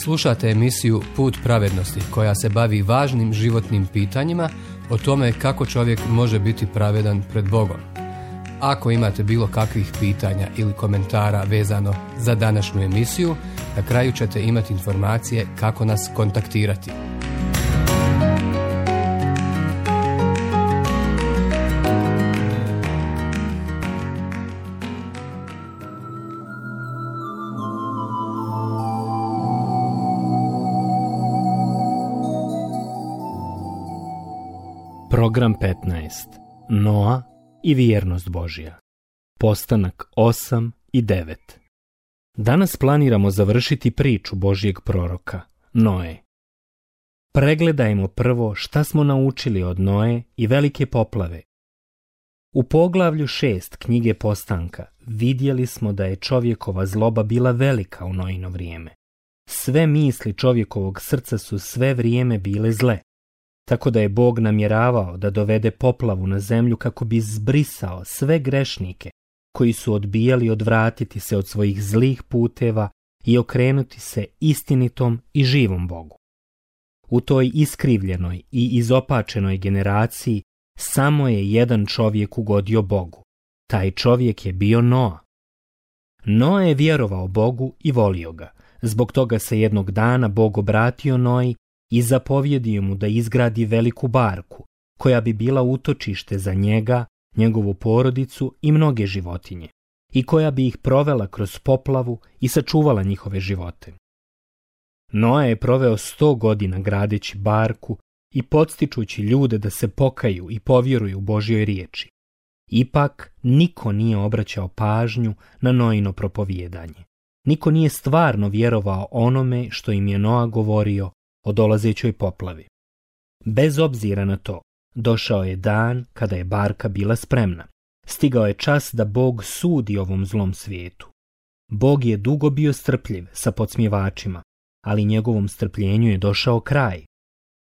Slušate emisiju Put pravednosti koja se bavi važnim životnim pitanjima o tome kako čovjek može biti pravedan pred Bogom. Ako imate bilo kakvih pitanja ili komentara vezano za današnju emisiju, na kraju ćete imati informacije kako nas kontaktirati. Program 15. Noa i vjernost Božja. Postanak 8 i 9. Danas planiramo završiti priču Božjeg proroka, Noe. Pregledajmo prvo šta smo naučili od Noe i velike poplave. U poglavlju 6 knjige Postanka vidjeli smo da je čovjekova zloba bila velika u Noino vrijeme. Sve misli čovjekovog srca su sve vrijeme bile zle. Tako da je Bog namjeravao da dovede poplavu na zemlju kako bi zbrisao sve grešnike koji su odbijali odvratiti se od svojih zlih puteva i okrenuti se istinitom i živom Bogu. U toj iskrivljenoj i izopačenoj generaciji samo je jedan čovjek ugodio Bogu. Taj čovjek je bio Noa. Noa je vjerovao Bogu i volio ga. Zbog toga se jednog dana Bog obratio Noji i zapovjedio mu da izgradi veliku barku, koja bi bila utočište za njega, njegovu porodicu i mnoge životinje, i koja bi ih provela kroz poplavu i sačuvala njihove živote. Noa je proveo 100 godina gradeći barku i podstičući ljude da se pokaju i povjeruju Božjoj riječi. Ipak, niko nije obraćao pažnju na Noino propovijedanje. Niko nije stvarno vjerovao onome što im je Noa govorio o dolazećoj poplavi. Bez obzira na to, došao je dan kada je barka bila spremna. Stigao je čas da Bog sudi ovom zlom svijetu. Bog je dugo bio strpljiv sa podsmjevačima, ali njegovom strpljenju je došao kraj.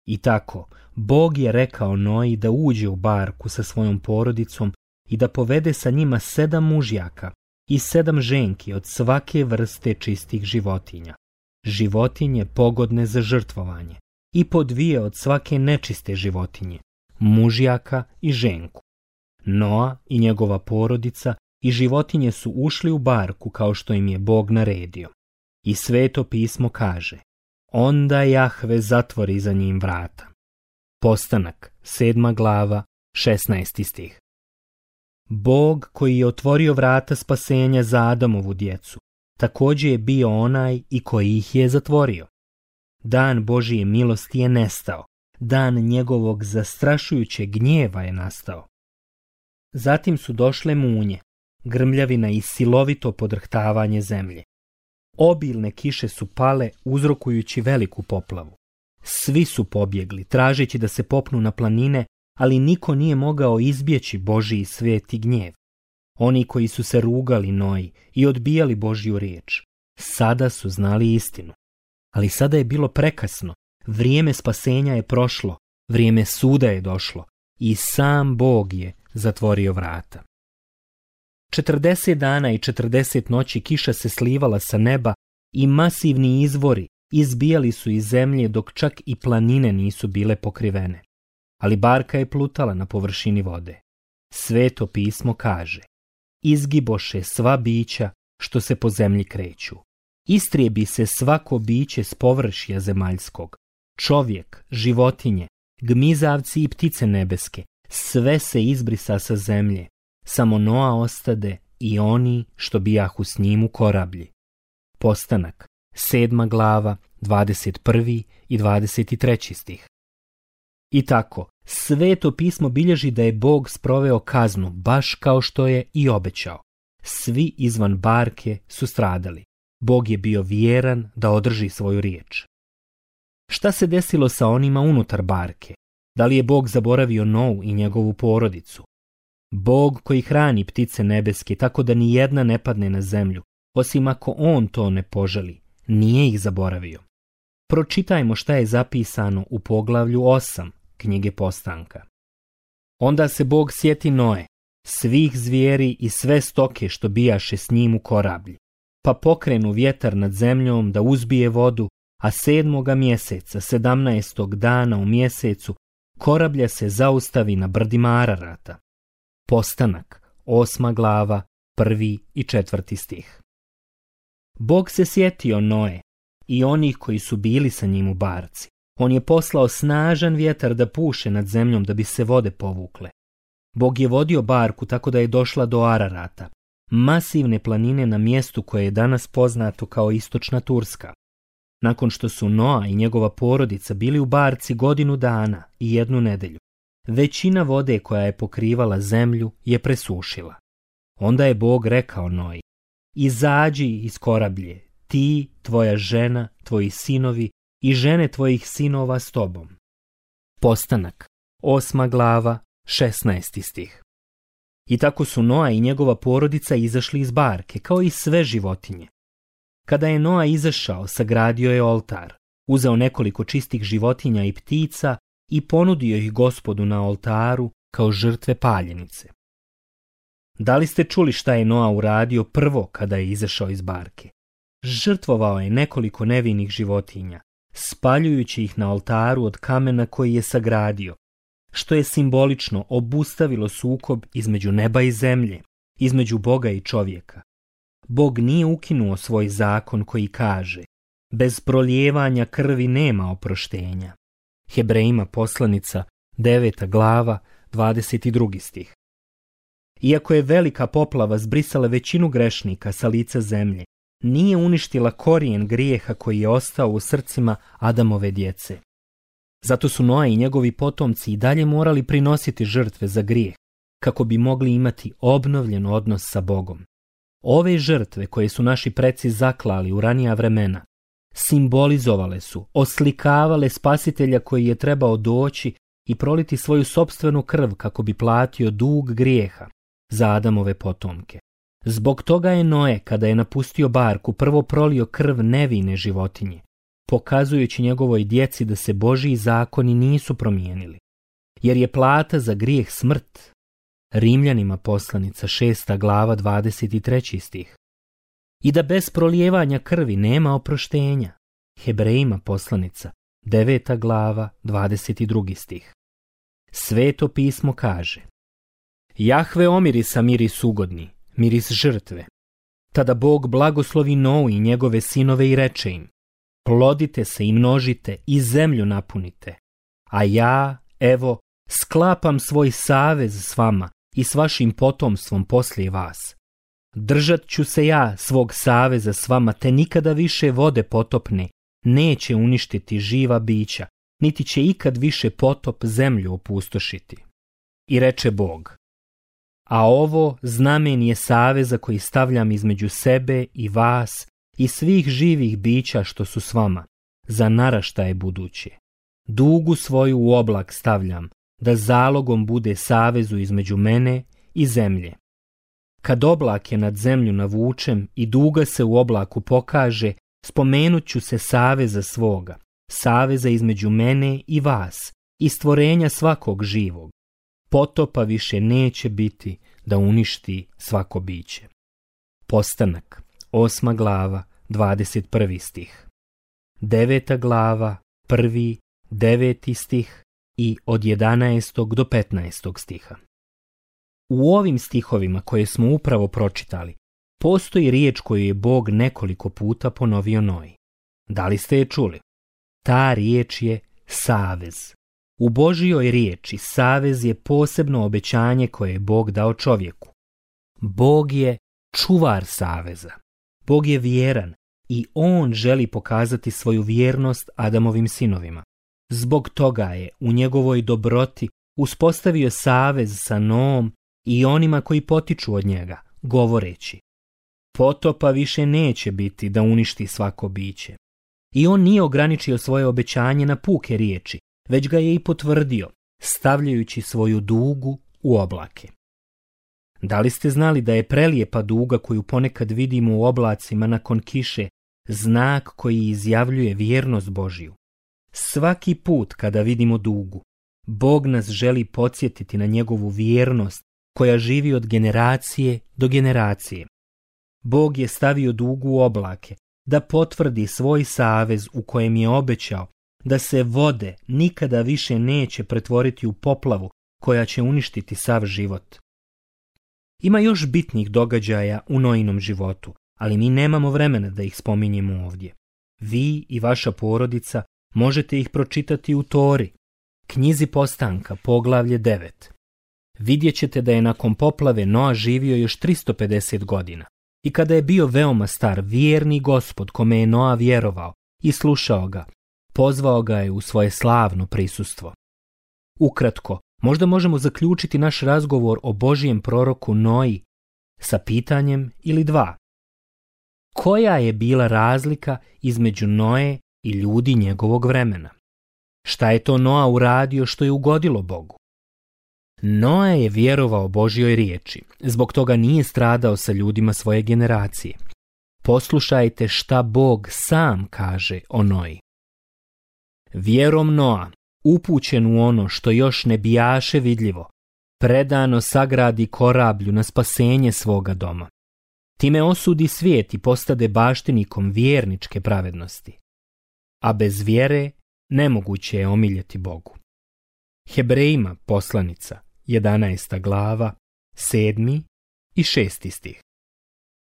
I tako, Bog je rekao Noji da uđe u barku sa svojom porodicom i da povede sa njima 7 mužjaka i 7 ženki od svake vrste čistih životinja. Životinje pogodne za žrtvovanje i po 2 od svake nečiste životinje, mužjaka i ženku. Noa i njegova porodica i životinje su ušli u barku kao što im je Bog naredio. I Sveto pismo kaže: onda Jahve zatvori za njim vrata. Postanak, 7. glava, 16. stih. Bog koji je otvorio vrata spasenja za Adamovu djecu, također je bio onaj i koji ih je zatvorio. Dan Božije milosti je nestao, dan njegovog zastrašujućeg gnjeva je nastao. Zatim su došle munje, grmljavina i silovito podrhtavanje zemlje. Obilne kiše su pale uzrokujući veliku poplavu. Svi su pobjegli, tražeći da se popnu na planine, ali niko nije mogao izbjeći Božji sveti gnjev. Oni koji su se rugali Noji i odbijali Božju riječ, sada su znali istinu. Ali sada je bilo prekasno, vrijeme spasenja je prošlo, vrijeme suda je došlo i sam Bog je zatvorio vrata. 40 dana i 40 noći kiša se slivala sa neba i masivni izvori izbijali su iz zemlje dok čak i planine nisu bile pokrivene. Ali barka je plutala na površini vode. Sveto pismo kaže: izgiboše sva bića što se po zemlji kreću. Istrijebi se svako biće s površja zemaljskog. Čovjek, životinje, gmizavci i ptice nebeske, sve se izbrisa sa zemlje. Samo Noa ostade i oni što bijahu s njim u korablji. Postanak, 7. glava, 21. i 23. stih. I tako, Sveto pismo bilježi da je Bog sproveo kaznu baš kao što je i obećao. Svi izvan barke su stradali. Bog je bio vjeran da održi svoju riječ. Šta se desilo sa onima unutar barke? Da li je Bog zaboravio Nou i njegovu porodicu? Bog koji hrani ptice nebeske tako da ni jedna ne padne na zemlju, osim ako on to ne poželi, nije ih zaboravio. Pročitajmo šta je zapisano u poglavlju 8 knjige Postanka. Onda se Bog sjeti Noe, svih zvijeri i sve stoke što bijaše s njim u korablji, pa pokrenu vjetar nad zemljom da uzbije vodu a 7. mjeseca, 17. dana u mjesecu, korablja se zaustavi na brdima Ararata. Postanak, 8. glava, 1. i 4. stih. Bog se sjetio Noe i onih koji su bili sa njim u barci. On je poslao snažan vjetar da puše nad zemljom da bi se vode povukle. Bog je vodio barku tako da je došla do Ararata, masivne planine na mjestu koje je danas poznato kao Istočna Turska. Nakon što su Noa i njegova porodica bili u barci 1 godinu dana i 1 nedelju, većina vode koja je pokrivala zemlju je presušila. Onda je Bog rekao Noji: izađi iz korablje, ti, tvoja žena, tvoji sinovi i žene tvojih sinova s tobom. Postanak, 8. glava, 16. stih. I tako su Noa i njegova porodica izašli iz barke, kao i sve životinje. Kada je Noa izašao, sagradio je oltar, uzeo nekoliko čistih životinja i ptica i ponudio ih Gospodu na oltaru kao žrtve paljenice. Da li ste čuli šta je Noa uradio prvo kada je izašao iz barke? Žrtvovao je nekoliko nevinih životinja, spaljujući ih na oltaru od kamena koji je sagradio, što je simbolično obustavilo sukob između neba i zemlje, između Boga i čovjeka. Bog nije ukinuo svoj zakon koji kaže: bez prolijevanja krvi nema oproštenja. Hebrejima poslanica, 9. glava, 22. stih. Iako je velika poplava zbrisala većinu grešnika sa lica zemlje, nije uništila korijen grijeha koji je ostao u srcima Adamove djece. Zato su Noa i njegovi potomci i dalje morali prinositi žrtve za grijeh, kako bi mogli imati obnovljen odnos sa Bogom. Ove žrtve koje su naši preci zaklali u ranija vremena, simbolizovale su, oslikavale spasitelja koji je trebao doći i proliti svoju sopstvenu krv kako bi platio dug grijeha za Adamove potomke. Zbog toga je Noe, kada je napustio barku, prvo prolio krv nevine životinje, pokazujući njegovoj djeci da se Božji zakoni nisu promijenili, jer je plata za grijeh smrt. Rimljanima poslanica, 6. glava, 23. stih. I da bez prolijevanja krvi nema oproštenja. Hebrejima poslanica, 9. glava, 22. stih. Sveto pismo kaže: Jahve omirisa miris ugodni, miris žrtve. Tada Bog blagoslovi Nou i njegove sinove i reče im: plodite se i množite i zemlju napunite. A ja, evo, sklapam svoj savez s vama i s vašim potomstvom poslije vas. Držat ću se ja svog saveza s vama, te nikada više vode potopne neće uništiti živa bića, niti će ikad više potop zemlju opustošiti. I reče Bog: a ovo znamen je saveza koji stavljam između sebe i vas i svih živih bića što su s vama, za naraštaje buduće. Dugu svoju u oblak stavljam, da zalogom bude savezu između mene i zemlje. Kad oblak je nad zemlju navučem i duga se u oblaku pokaže, spomenut ću se saveza svoga, saveza između mene i vas i stvorenja svakog živog. Potopa više neće biti da uništi svako biće. Postanak, 8. glava, 21. stih. 9. glava, 1., 9. stih i od 11. do 15. stiha. U ovim stihovima koje smo upravo pročitali, postoji riječ koju je Bog nekoliko puta ponovio Noji. Da li ste je čuli? Ta riječ je savez. U Božjoj riječi savez je posebno obećanje koje je Bog dao čovjeku. Bog je čuvar saveza. Bog je vjeran i on želi pokazati svoju vjernost Adamovim sinovima. Zbog toga je u njegovoj dobroti uspostavio savez sa Noom i onima koji potiču od njega, govoreći: potopa više neće biti da uništi svako biće. I on nije ograničio svoje obećanje na puke riječi, već ga je i potvrdio, stavljajući svoju dugu u oblake. Da li ste znali da je prelijepa duga koju ponekad vidimo u oblacima nakon kiše znak koji izjavljuje vjernost Božju? Svaki put kada vidimo dugu, Bog nas želi podsjetiti na njegovu vjernost koja živi od generacije do generacije. Bog je stavio dugu u oblake da potvrdi svoj savez u kojem je obećao da se vode nikada više neće pretvoriti u poplavu koja će uništiti sav život. Ima još bitnih događaja u Noinom životu, ali mi nemamo vremena da ih spominjemo ovdje. Vi i vaša porodica možete ih pročitati u Tori, knjizi Postanka, poglavlje 9. Vidjet ćete da je nakon poplave Noa živio još 350 godina i kada je bio veoma star, vjerni Gospod kome je Noa vjerovao i slušao ga, pozvao ga je u svoje slavno prisustvo. Ukratko, možda možemo zaključiti naš razgovor o Božijem proroku Noji sa pitanjem ili dva. Koja je bila razlika između Noe i ljudi njegovog vremena? Šta je to Noa uradio što je ugodilo Bogu? Noa je vjerovao Božjoj riječi, zbog toga nije stradao sa ljudima svoje generacije. Poslušajte šta Bog sam kaže o Noji. Vjerom Noa, upućen u ono što još ne bijaše vidljivo, predano sagradi korablju na spasenje svoga doma. Time osudi svijet i postade baštinikom vjerničke pravednosti. A bez vjere nemoguće je omiljeti Bogu. Hebrejima poslanica, 11. glava, 7. i 6. stih.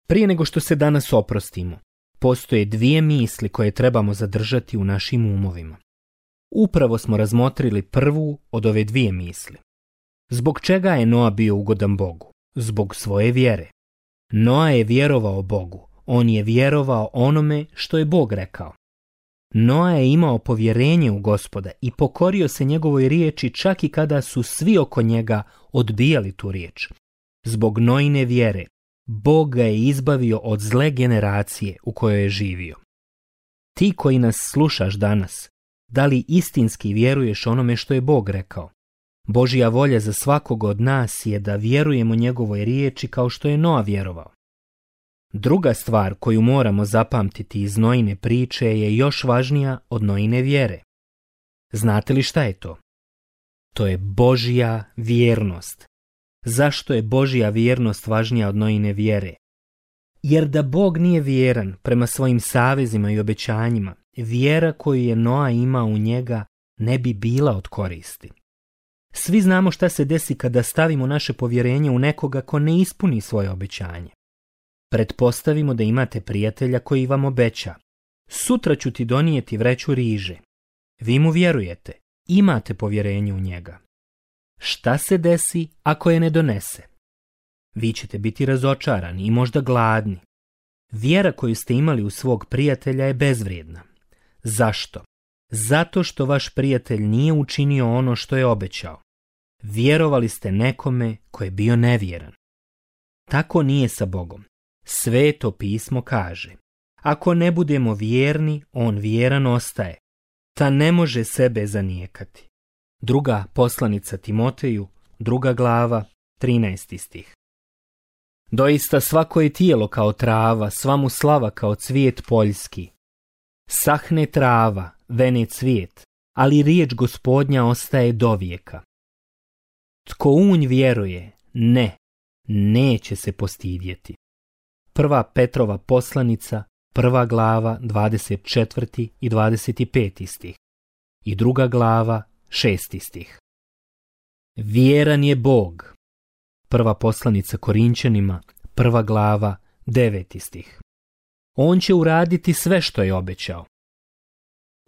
Prije nego što se danas oprostimo, postoje dvije misli koje trebamo zadržati u našim umovima. Upravo smo razmotrili prvu od ove dvije misli. Zbog čega je Noa bio ugodan Bogu? Zbog svoje vjere. Noa je vjerovao Bogu, on je vjerovao onome što je Bog rekao. Noa je imao povjerenje u Gospoda i pokorio se njegovoj riječi čak i kada su svi oko njega odbijali tu riječ. Zbog Noine vjere, Bog ga je izbavio od zle generacije u kojoj je živio. Ti koji nas slušaš danas, da li istinski vjeruješ onome što je Bog rekao? Božja volja za svakog od nas je da vjerujemo njegovoj riječi kao što je Noa vjerovao. Druga stvar koju moramo zapamtiti iz Noine priče je još važnija od Noine vjere. Znate li šta je to? To je Božja vjernost. Zašto je Božja vjernost važnija od Noine vjere? Jer da Bog nije vjeran prema svojim savezima i obećanjima, vjera koju je Noa imao u njega ne bi bila od koristi. Svi znamo šta se desi kada stavimo naše povjerenje u nekoga ko ne ispuni svoje obećanje. Pretpostavimo da imate prijatelja koji vam obeća: sutra ću ti donijeti vreću riže. Vi mu vjerujete, imate povjerenje u njega. Šta se desi ako je ne donese? Vi ćete biti razočarani i možda gladni. Vjera koju ste imali u svog prijatelja je bezvrijedna. Zašto? Zato što vaš prijatelj nije učinio ono što je obećao. Vjerovali ste nekome ko je bio nevjeran. Tako nije sa Bogom. Sveto pismo kaže: ako ne budemo vjerni, on vjeran ostaje, ta ne može sebe zanijekati. Druga poslanica Timoteju, 2. glava, 13. stih. Doista svako je tijelo kao trava, sva mu slava kao cvijet poljski. Sahne trava, vene cvijet, ali riječ Gospodnja ostaje dovijeka. Tko unj vjeruje, neće se postidjeti. 1. Petrova poslanica, 1. glava, 24. i 25. stih. I 2. glava, 6. stih. Vjeran je Bog. 1. poslanica Korinčanima, 1. glava, 9. stih. On će uraditi sve što je obećao.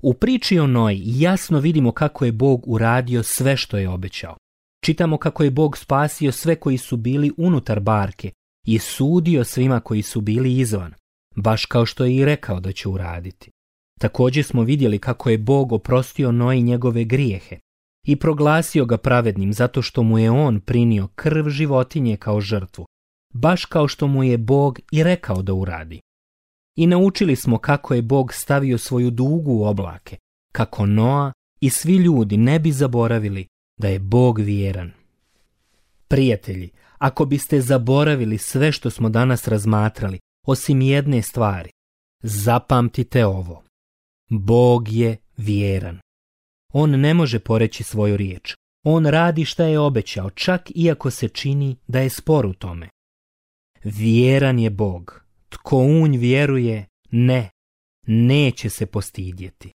U priči o Noji jasno vidimo kako je Bog uradio sve što je obećao. Čitamo kako je Bog spasio sve koji su bili unutar barke i sudio svima koji su bili izvan, baš kao što je i rekao da će uraditi. Također smo vidjeli kako je Bog oprostio Noji njegove grijehe i proglasio ga pravednim zato što mu je on prinio krv životinje kao žrtvu, baš kao što mu je Bog i rekao da uradi. I naučili smo kako je Bog stavio svoju dugu u oblake, kako Noa i svi ljudi ne bi zaboravili da je Bog vjeran. Prijatelji, ako biste zaboravili sve što smo danas razmatrali, osim jedne stvari, zapamtite ovo: Bog je vjeran. On ne može poreći svoju riječ. On radi šta je obećao, čak iako se čini da je spor u tome. Vjeran je Bog. Tko unj vjeruje, neće se postidjeti.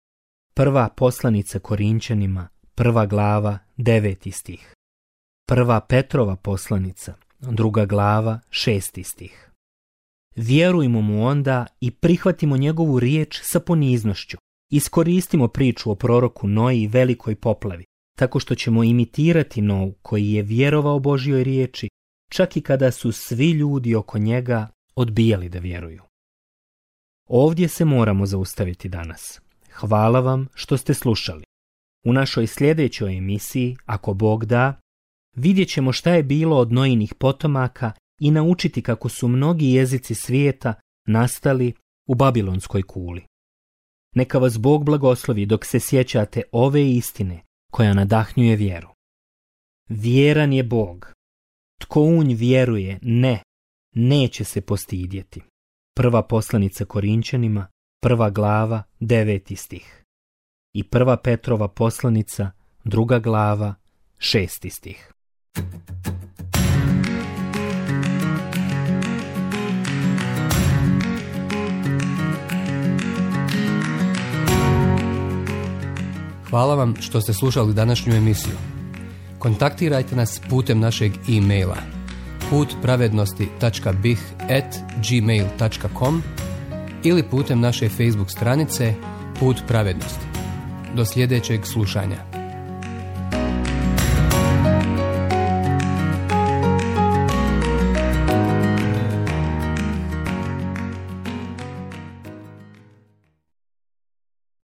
Prva poslanica Korinćanima, 1. glava, 9. stih. Prva Petrova poslanica, 2. glava, 6. stih. Vjerujmo mu onda i prihvatimo njegovu riječ sa poniznošću. Iskoristimo priču o proroku Noji i velikoj poplavi, tako što ćemo imitirati Novu koji je vjerovao Božjoj riječi, čak i kada su svi ljudi oko njega odbijali da vjeruju. Ovdje se moramo zaustaviti danas. Hvala vam što ste slušali. U našoj sljedećoj emisiji, ako Bog da, vidjet ćemo šta je bilo od Nojinih potomaka i naučiti kako su mnogi jezici svijeta nastali u Babilonskoj kuli. Neka vas Bog blagoslovi dok se sjećate ove istine koja nadahnjuje vjeru. Vjeran je Bog. Tko u nj vjeruje, neće se postidjeti. Prva poslanica Korinćanima, 1. glava, 9. stih. I 1. Petrova poslanica, 2. glava, 6. stih. Hvala vam što ste slušali današnju emisiju. Kontaktirajte nas putem našeg e-maila putpravednosti.bih@gmail.com ili putem naše Facebook stranice Put pravednosti. Do sljedećeg slušanja.